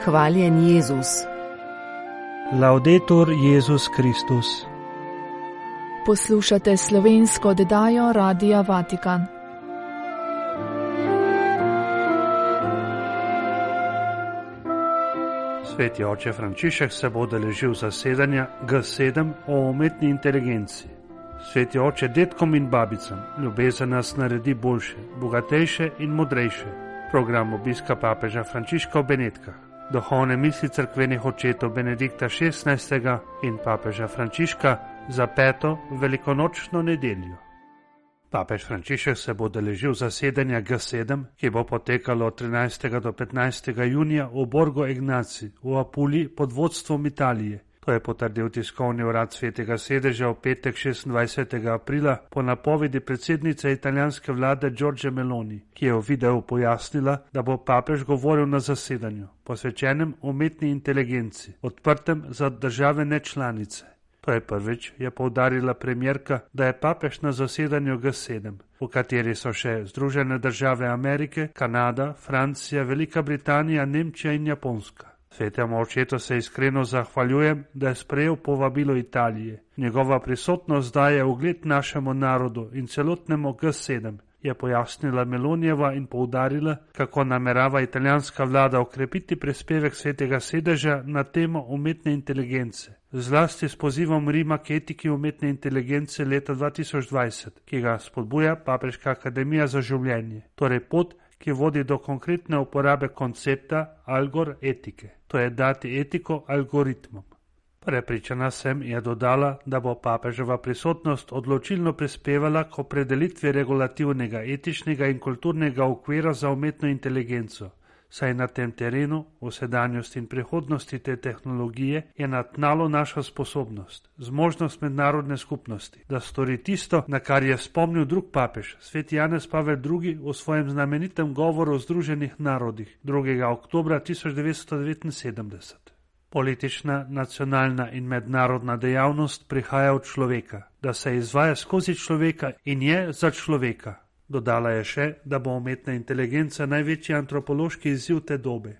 Hvaljen Jezus. Laudetur Jezus Kristus. Poslušate slovensko oddajo Radia Vatikan. Sveti oče Frančišek se bo udeležil zasedanja G7 o umetni inteligenci. Sveti oče, dedkom in babicam, ljubezen nas naredi boljše, bogatejše in modrejše. Program obiska papeža Frančiška v Benetkah, duhovne misli cerkvenih očetov Benedikta XVI. In papeža Frančiška za 5. velikonočno nedeljo. Papež Frančišek se bo udeležil zasedanja G7, ki bo potekalo od 13. do 15. junija v Borgo Egnazii v Apuliji pod vodstvom Italije. To je potrdil tiskovni urad Svetega sedeža v petek 26. aprila po napovedi predsednice italijanske vlade Giorgie Meloni, ki je v videu pojasnila, da bo papež govoril na zasedanju, posvečenem umetni inteligenci, odprtem za države nečlanice. To je prvič, je poudarila premierka, da je papež na zasedanju G7, v kateri so še Združene države Amerike, Kanada, Francija, Velika Britanija, Nemčija in Japonska. Svetemu očetu se iskreno zahvaljujem, da je sprejel povabilo Italije. Njegova prisotnost daje ugled našemu narodu in celotnemu G7, je pojasnila Melonijeva in poudarila, kako namerava italijanska vlada okrepiti prispevek Svetega sedeža na temo umetne inteligence, zlasti s pozivom Rima k etiki umetne inteligence leta 2020, ki ga spodbuja Papeška akademija za življenje, torej pot, ki vodi do konkretne uporabe koncepta algor etike, to je dati etiko algoritmom. Prepričana sem, je dodala, da bo papeževa prisotnost odločilno prispevala k opredelitvi regulativnega, etičnega in kulturnega okvira za umetno inteligenco, saj na tem terenu, v sedanjosti in prihodnosti te tehnologije, je na tnalu naša sposobnost, zmožnost mednarodne skupnosti, da stori tisto, na kar je spomnil drug papež, sveti Janez Pavel II. V svojem znamenitem govoru o Združenih narodih 2. oktobra 1979. Politična, nacionalna in mednarodna dejavnost prihaja od človeka, da se izvaja skozi človeka in je za človeka. Dodala je še, da bo umetna inteligenca največji antropološki izziv te dobe.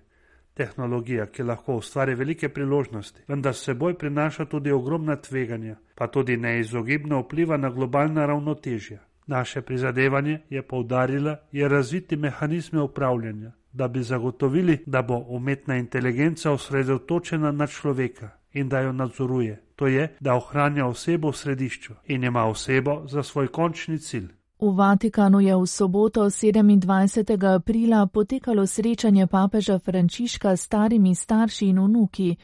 Tehnologija, ki lahko ustvari velike priložnosti, vendar s seboj prinaša tudi ogromna tveganja, pa tudi neizogibno vpliva na globalna ravnotežja. Naše prizadevanje, je poudarila, je razviti mehanizme upravljanja, da bi zagotovili, da bo umetna inteligenca osredotočena na človeka in da jo nadzoruje. To je, da ohranja osebo v središču in ima osebo za svoj končni cilj. V Vatikanu je v soboto 27. aprila potekalo srečanje papeža Frančiška s starimi starši in vnuki.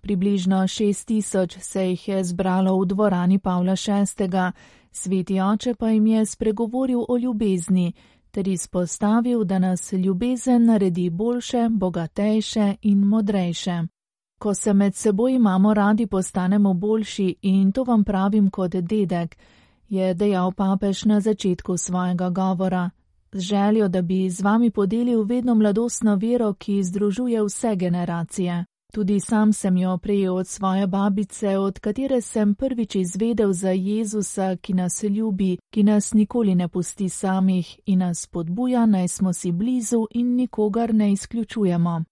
Približno 6.000 se jih je zbralo v dvorani Pavla VI. Sveti oče pa jim je spregovoril o ljubezni, ter izpostavil, da nas ljubezen naredi boljše, bogatejše in modrejše. Ko se med seboj imamo radi, postanemo boljši in to vam pravim kot dedek, je dejal papež na začetku svojega govora, z željo, da bi z vami podelil vedno mladostno vero, ki združuje vse generacije. Tudi sam sem jo prejel od svoje babice, od katere sem prvič izvedel za Jezusa, ki nas ljubi, ki nas nikoli ne pusti samih in nas spodbuja, naj smo si blizu in nikogar ne izključujemo.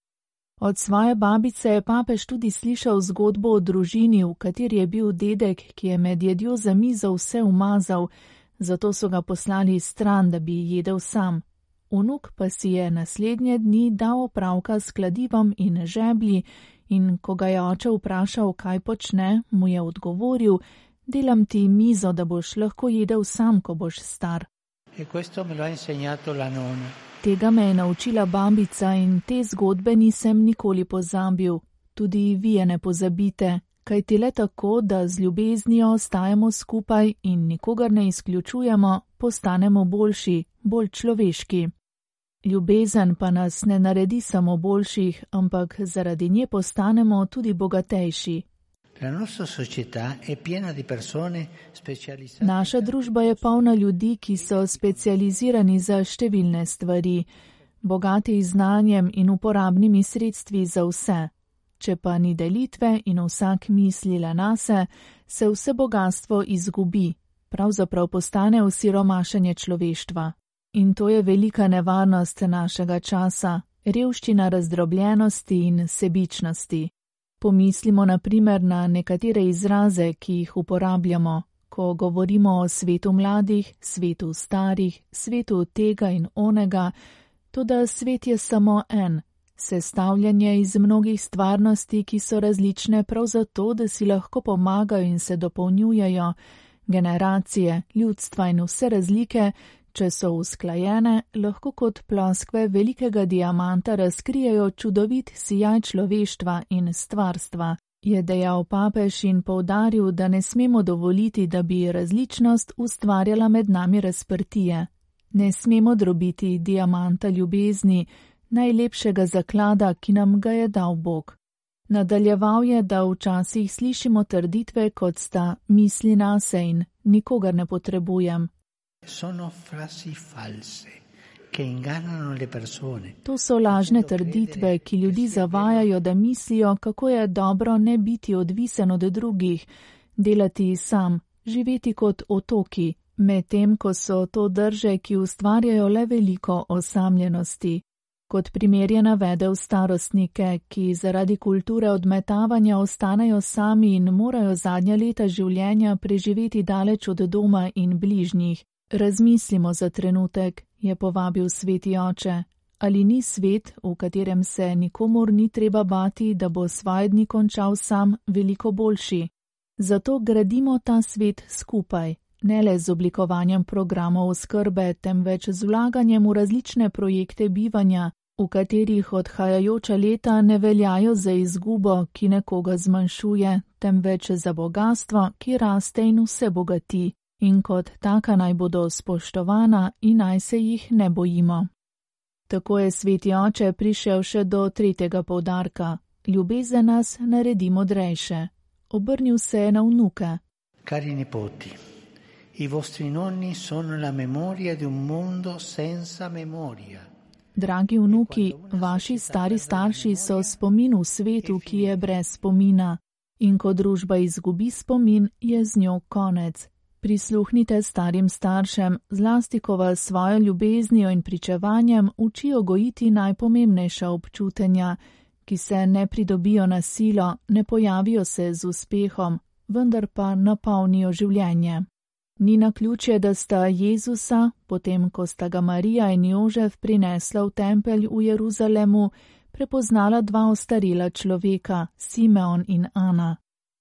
Od svoje babice je papež tudi slišal zgodbo o družini, v kateri je bil dedek, ki je med jedjo za mizo vse umazal, zato so ga poslali stran, da bi jedel sam. Vnuk pa si je naslednje dni dal opravka s kladivom in žeblji in ko ga je oče vprašal, kaj počne, mu je odgovoril, delam ti mizo, da boš lahko jedel sam, ko boš star. Tega me je naučila babica in te zgodbe nisem nikoli pozabil. Tudi vi je ne pozabite, kajti le tako, da z ljubeznijo ostajamo skupaj in nikogar ne izključujemo, postanemo boljši, bolj človeški. Ljubezen pa nas ne naredi samo boljših, ampak zaradi nje postanemo tudi bogatejši. Naša družba je polna ljudi, ki so specializirani za številne stvari, bogati znanjem in uporabnimi sredstvi za vse. Če pa ni delitve in vsak misli le nase, se vse bogastvo izgubi, pravzaprav postane osiromašenje človeštva. In to je velika nevarnost našega časa. revščina razdrobljenosti in sebičnosti. Pomislimo na primer na nekatere izraze, ki jih uporabljamo, ko govorimo o svetu mladih, svetu starih, svetu tega in onega, toda svet je samo en, sestavljanje iz mnogih stvarnosti, ki so različne prav zato, da si lahko pomagajo in se dopolnjujejo, generacije, ljudstva in vse razlike, če so usklajene, lahko kot ploskve velikega diamanta razkrijejo čudovit sijaj človeštva in stvarstva, je dejal papež in poudaril, da ne smemo dovoliti, da bi različnost ustvarjala med nami razprtije. Ne smemo drobiti diamanta ljubezni, najlepšega zaklada, ki nam ga je dal Bog. Nadaljeval je, da včasih slišimo trditve, kot sta misli nase in nikogar ne potrebujem. To so lažne trditve, ki ljudi zavajajo, da mislijo, kako je dobro ne biti odvisen od drugih, delati sam, živeti kot otoki, medtem ko so to drže, ki ustvarjajo le veliko osamljenosti. Kot primer je navedel starostnike, ki zaradi kulture odmetavanja ostanejo sami in morajo zadnja leta življenja preživeti daleč od doma in bližnjih. Razmislimo za trenutek, je povabil sveti oče. Ali ni svet, v katerem se nikomur ni treba bati, da bo svoje dni končal sam, veliko boljši? Zato gradimo ta svet skupaj, ne le z oblikovanjem programov oskrbe, temveč z vlaganjem v različne projekte bivanja, v katerih odhajajoča leta ne veljajo za izgubo, ki nekoga zmanjšuje, temveč za bogastvo, ki raste in vse bogati, in kot taka naj bodo spoštovana in naj se jih ne bojimo. Tako je sveti oče prišel še do tretjega poudarka. Ljubezen nas naredi modrejše. Obrnil se je na vnuke. Cari nipoti, i vostri nonni sono la memoria di un mondo senza memoria. Dragi vnuki, vaši stari starši so spomin v svetu, ki je brez spomina. In ko družba izgubi spomin, je z njo konec. Prisluhnite starim staršem, zlasti ko vas svojo ljubeznijo in pričevanjem učijo gojiti najpomembnejša občutenja, ki se ne pridobijo na silo, ne pojavijo se z uspehom, vendar pa napolnijo življenje. Ni naključje, da sta Jezusa, potem ko sta ga Marija in Jožef prinesla v tempelj v Jeruzalemu, prepoznala dva ostarela človeka, Simeon in Ana.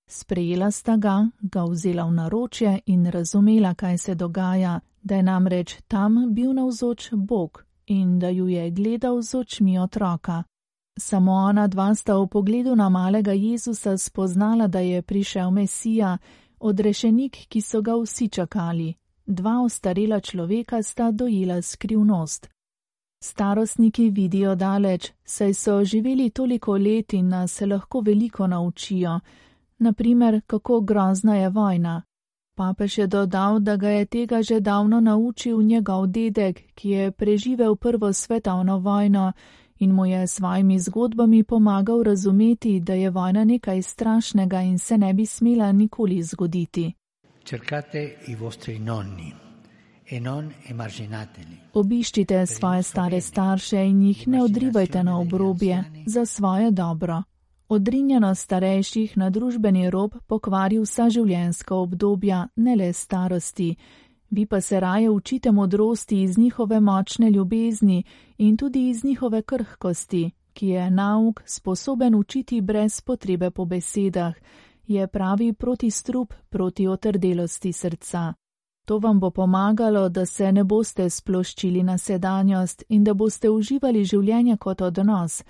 Sprejela sta ga vzela v naročje in razumela, kaj se dogaja, da je namreč tam bil navzoč Bog in da ju je gledal z očmi otroka. Samo ona dva sta v pogledu na malega Jezusa spoznala, da je prišel Mesija, odrešenik, ki so ga vsi čakali. Dva ostarela človeka sta dojela skrivnost. Starostniki vidijo daleč, saj so živeli toliko let in nas lahko veliko naučijo. Naprimer, kako grozna je vojna. Papež je dodal, da ga je tega že davno naučil njegov dedek, ki je preživel prvo svetovno vojno in mu je s svojimi zgodbami pomagal razumeti, da je vojna nekaj strašnega in se ne bi smela nikoli zgoditi. Cercate i vostri nonni e non emarginateli. Obiščite svoje stare starše in jih ne odrivajte na obrobje za svoje dobro. Odrinjenost starejših na družbeni rob pokvari vsa življenjska obdobja, ne le starosti. Vi pa se raje učite modrosti iz njihove močne ljubezni in tudi iz njihove krhkosti, ki je nauk sposoben učiti brez potrebe po besedah, je pravi protistrup proti otrdelosti srca. To vam bo pomagalo, da se ne boste sploščili na sedanjost in da boste uživali življenje kot odnos,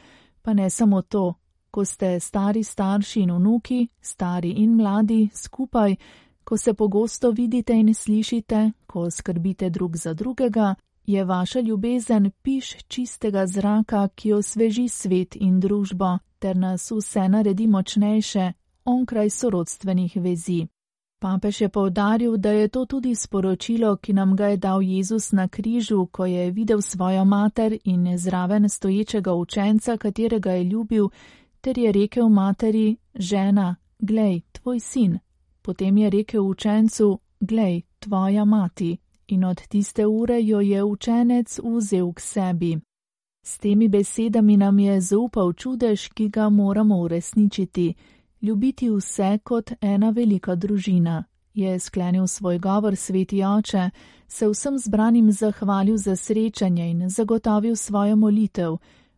pa ne samo to. Ko ste stari starši in vnuki, stari in mladi, skupaj, ko se pogosto vidite in slišite, ko skrbite drug za drugega, je vaša ljubezen piš čistega zraka, ki osveži svet in družbo, ter nas vse naredi močnejše, onkraj sorodstvenih vezi. Papež je poudaril, da je to tudi sporočilo, ki nam ga je dal Jezus na križu, ko je videl svojo mater in zraven stoječega učenca, katerega je ljubil, ter je rekel materi, žena, glej, tvoj sin. Potem je rekel učencu, glej, tvoja mati. In od tiste ure jo je učenec vzel k sebi. S temi besedami nam je zaupal čudež, ki ga moramo uresničiti, ljubiti vse kot ena velika družina. Je sklenil svoj govor sveti oče, se vsem zbranim zahvalil za srečanje in zagotovil svojo molitev,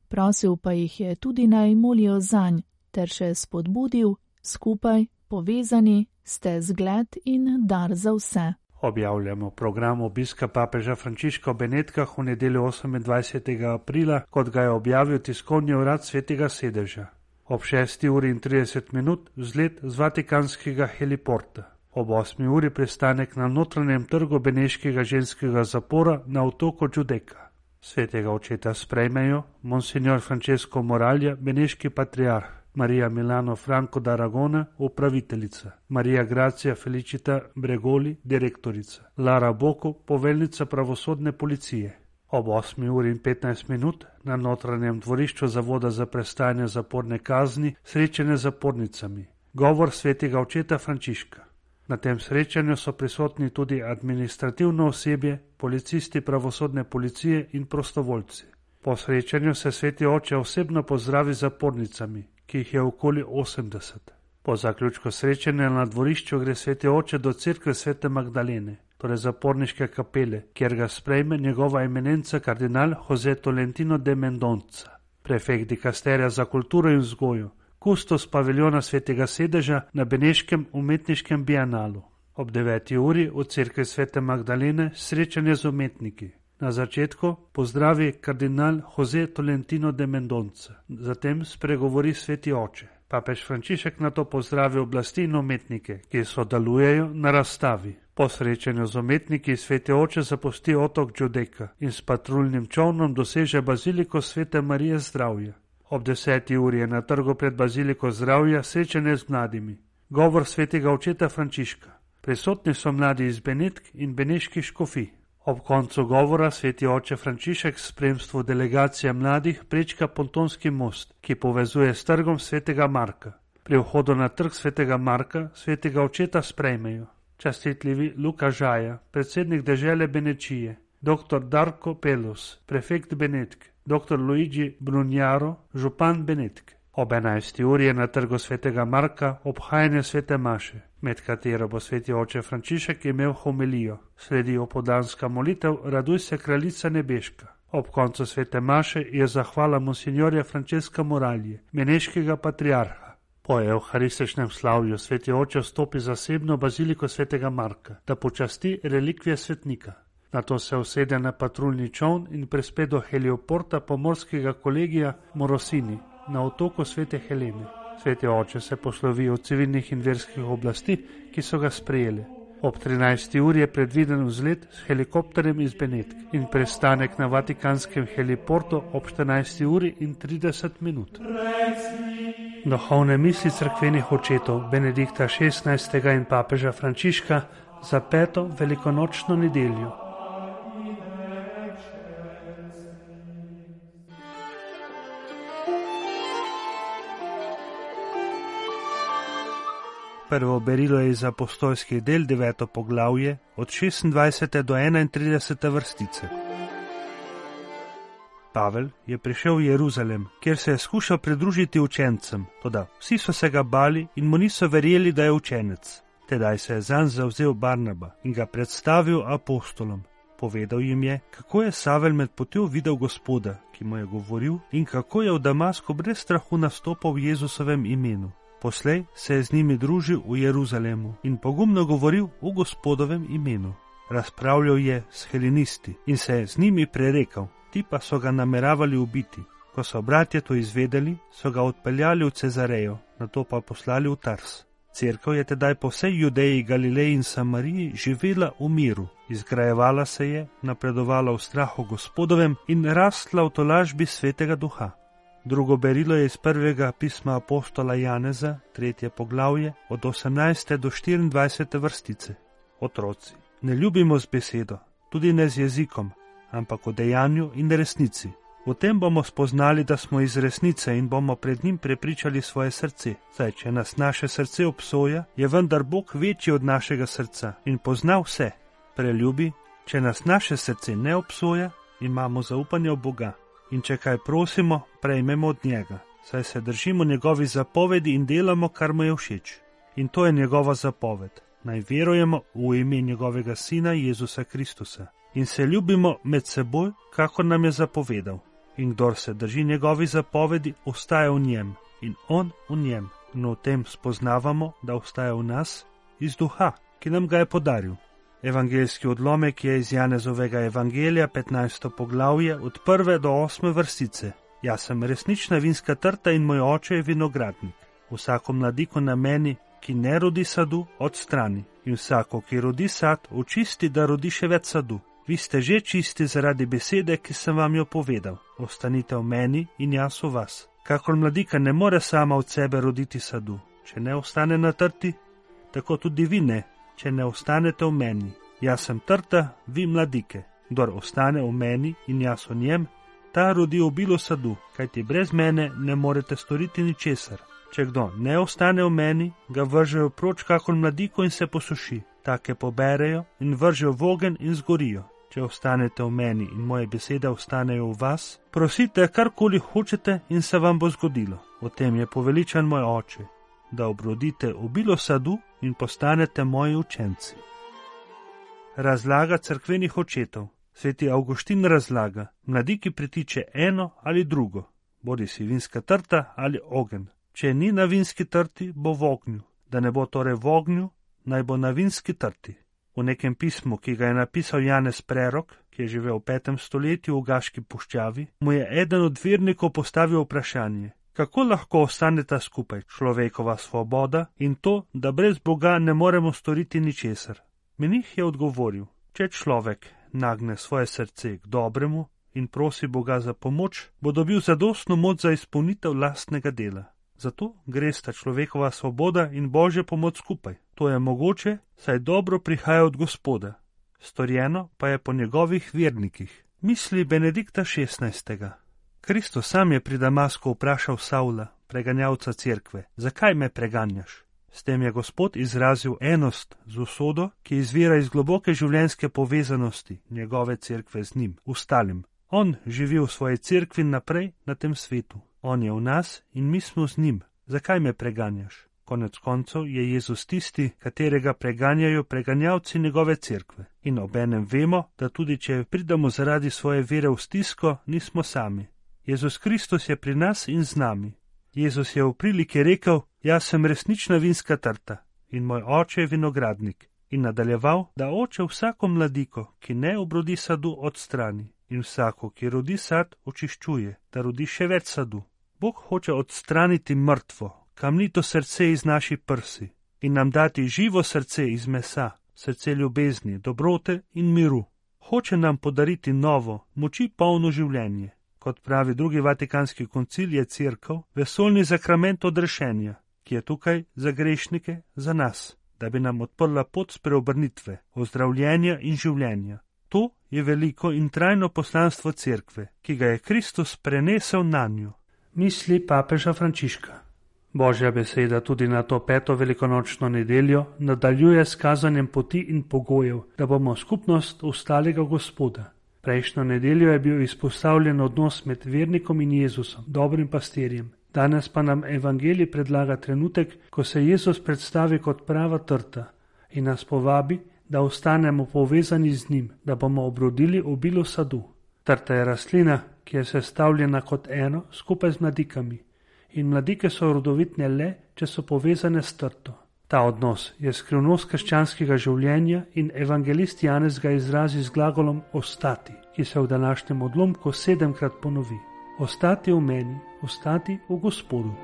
prosil pa jih je tudi naj molijo zanj, ter še spodbudil, skupaj, povezani, ste zgled in dar za vse. Objavljamo program obiska papeža Frančiška v Benetkah v nedeljo 28. aprila, kot ga je objavil tiskovni urad Svetega sedeža. Ob 6:30 vzlet z vatikanskega heliporta. Ob 8. uri pristanek na notranjem trgu beneškega ženskega zapora na otoku Giudecca. Svetega očeta sprejmejo monsignor Francesco Moralja, beneški patriarh, Marija Milano Franco d'Aragona, upraviteljica, Marija Grazia Felicita Bregoli, direktorica, Lara Boko, poveljnica pravosodne policije. Ob 8:15 na notranjem dvorišču Zavoda za prestajanje zaporne kazni srečanje z zapornicami. Govor svetega očeta Frančiška. Na tem srečanju so prisotni tudi administrativno osebje, policisti pravosodne policije in prostovoljci. Po srečanju se sveti oče osebno pozdravi z zapornicami, ki jih je okoli 80. Po zaključku srečanja na dvorišču gre sveti oče do cerkve svete Magdalene, torej zaporniške kapele, kjer ga sprejme njegova eminenca kardinal José Tolentino de Mendonca, prefekt dikasterija za kulturo in vzgojo, kustos paviljona svetega sedeža na beneškem umetniškem bianalu. Ob 9. uri v cerkvi svete Magdalene srečanje z umetniki. Na začetku pozdravi kardinal José Tolentino de Mendonca, zatem spregovori sveti oče. Papež Frančišek nato pozdravi oblasti in umetnike, ki sodelujejo na razstavi. Po srečanju z umetniki sveti oče zapusti otok Giudecca in s patruljnim čolnom doseže baziliko svete Marije Zdravja. Ob 10. uri je na trgu pred baziliko Zdravja srečanje z mladimi. Govor svetega očeta Frančiška. Prisotni so mladi iz Benetk in beneških škofij. Ob koncu govora sveti oče Frančišek v spremstvu delegacije mladih prečka pontonski most, ki povezuje s trgom svetega Marka. Pri vhodu na trg svetega Marka svetega očeta sprejmejo častitljivi Luka Žaja, predsednik dežele Benečije, dr. Darko Pelus, prefekt Benetk, dr. Luigi Brunjaro, župan Benetk. Ob 11. uri je na trgu svetega Marka obhajanje svete maše, med katero bo sveti oče Frančišek imel homilijo. Sledi opoldanska molitev Raduj se kraljica nebeška. Ob koncu svete maše je zahvala monsignorja Francesca Moralje, beneškega patriarha. Po evharističnem slavju sveti oče vstopi zasebno baziliko svetega Marka, da počasti relikvije svetnika. Nato se usede na patruljni čoln in prespe do helioporta pomorskega kolegija Morosini na otoku svete Helene. Sveti oče se poslovi od civilnih in verskih oblasti, ki so ga sprejeli. Ob 13. uri je predviden vzlet s helikopterjem iz Benetk in prestanek na vatikanskem heliportu ob 14:30. Duhovne misli cerkvenih očetov Benedikta XVI. In papeža Frančiška za 5. velikonočno nedeljo. Prvo berilo je iz apostolskih del 9. poglavje od 26. do 31. vrstice. Pavel je prišel v Jeruzalem, kjer se je skušal pridružiti učencem, toda vsi so se ga bali in mu niso verjeli, da je učenec. Tedaj se je zanj zavzel Barnaba in ga predstavil apostolom. Povedal jim je, kako je Savel med potjo videl Gospoda, ki mu je govoril, in kako je v Damasku brez strahu nastopal v Jezusovem imenu. Poslej se je z njimi družil v Jeruzalemu in pogumno govoril v Gospodovem imenu. Razpravljal je s helenisti in se je z njimi prerekal, ti pa so ga nameravali ubiti. Ko so bratje to izvedeli, so ga odpeljali v Cezarejo, nato pa poslali v Tars. Cerkev je tedaj po vsej Judeji, Galileji in Samariji živela v miru, izgrajevala se je, napredovala v strahu Gospodovem in rastla v tolažbi Svetega Duha. Drugo berilo je iz prvega pisma apostola Janeza, 3. poglavje, od 18. do 24. vrstice. Otroci, ne ljubimo z besedo, tudi ne z jezikom, ampak v dejanju in resnici. V tem bomo spoznali, da smo iz resnice in bomo pred njim prepričali svoje srce. Saj, če nas naše srce obsoja, je vendar Bog večji od našega srca in pozna vse. Preljubi, če nas naše srce ne obsoja, imamo zaupanje v Boga. in če kaj prosimo, prejmemo od njega, saj se držimo njegovih zapovedi in delamo, kar mu je všeč. In to je njegova zapoved, naj verujemo v ime njegovega Sina Jezusa Kristusa in se ljubimo med seboj, kakor nam je zapovedal. In kdor se drži njegovih zapovedi, ostaja v njem in on v njem. No, v tem spoznavamo, da ostaja v nas iz duha, ki nam ga je podaril. Evangeljski odlomek je iz Janezovega evangelija, 15. poglavje, od 1. do 8. vrstice. Jaz sem resnična vinska trta in moj oče je vinogradnik. Vsako mladiko na meni, ki ne rodi sadu, odstrani. In vsako, ki rodi sad, očisti, da rodi še več sadu. Vi ste že čisti zaradi besede, ki sem vam jo povedal. Ostanite v meni in jaz v vas. Kakor mladika ne more sama od sebe roditi sadu, če ne ostane na trti, tako tudi vi ne, če ne ostanete v meni. Jaz sem trta, vi mladike. Kdor ostane v meni in jaz v njem, ta rodi obilo sadu, kajti brez mene ne morete storiti ničesar. Če kdo ne ostane v meni, ga vržejo proč kakor mladiko in se posuši. Take poberejo in vržejo v ogenj in zgorijo. Če ostanete v meni in moje besede ostanejo v vas, prosite, karkoli hočete in se vam bo zgodilo. O tem je poveličan moj oče, da obrodite obilo sadu in postanete moji učenci. Razlaga cerkvenih očetov. Sveti Avguštin razlaga, mladiki pritiče eno ali drugo, bodi si vinska trta ali ogenj. Če ni na vinski trti, bo v ognju. Da ne bo torej v ognju, naj bo na vinski trti. V nekem pismu, ki ga je napisal Janez Prerok, ki je živel v 5. stoletju v Gaški puščavi, mu je eden od vernikov postavil vprašanje, kako lahko ostaneta skupaj človekova svoboda in to, da brez Boga ne moremo storiti ničesar. Menih je odgovoril, če človek nagne svoje srce k dobremu in prosi Boga za pomoč, bo dobil zadostno moč za izpolnitev lastnega dela. Zato gresta človekova svoboda in Božja pomoč skupaj. To je mogoče, saj dobro prihaja od Gospoda. Storjeno pa je po njegovih vernikih. Misli Benedikta XVI. Kristus sam je pri Damasku vprašal Savla, preganjavca cerkve, zakaj me preganjaš? S tem je Gospod izrazil enost z usodo, ki izvira iz globoke življenjske povezanosti njegove cerkve z njim, ustalim. On živi v svoji cerkvi naprej na tem svetu. On je v nas in mi smo z njim. Zakaj me preganjaš? Konec koncev je Jezus tisti, katerega preganjajo preganjavci njegove cerkve. In obenem vemo, da tudi če pridemo zaradi svoje vere v stisko, nismo sami. Jezus Kristus je pri nas in z nami. Jezus je v priliki rekel, jaz sem resnična vinska trta in moj oče je vinogradnik. In nadaljeval, da oče vsako mladiko, ki ne obrodi sadu, odstrani. In vsako, ki rodi sad, očiščuje, da rodi še več sadu. Bog hoče odstraniti mrtvo, kamnito srce iz naših prsi in nam dati živo srce iz mesa, srce ljubezni, dobrote in miru. Hoče nam podariti novo, moči polno življenje. Kot pravi drugi Vatikanski koncil, je cerkev vesoljni zakrament odrešenja, ki je tukaj za grešnike, za nas, da bi nam odprla pot spreobrnitve, ozdravljenja in življenja. To je veliko in trajno poslanstvo cerkve, ki ga je Kristus prenesel nanjo. Misli papeža Frančiška. Božja beseda tudi na to 5. velikonočno nedeljo nadaljuje s kazanjem poti in pogojev, da bomo skupnost ostalega Gospoda. Prejšnjo nedeljo je bil izpostavljen odnos med vernikom in Jezusom, dobrim pastirjem. Danes pa nam evangelij predlaga trenutek, ko se Jezus predstavi kot prava trta in nas povabi, da ostanemo povezani z njim, da bomo obrodili obilo sadu. Trta je rastlina, ki je sestavljena kot eno skupaj z mladikami. In mladike so rodovitne le, če so povezane s trto. Ta odnos je skrivnost krščanskega življenja in evangelist Janez ga izrazi z glagolom ostati, ki se v današnjem odlomku 7-krat ponovi. Ostati v meni, ostati v Gospodu.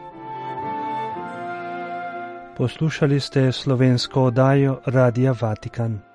Poslušali ste slovensko oddajo Radia Vatikan.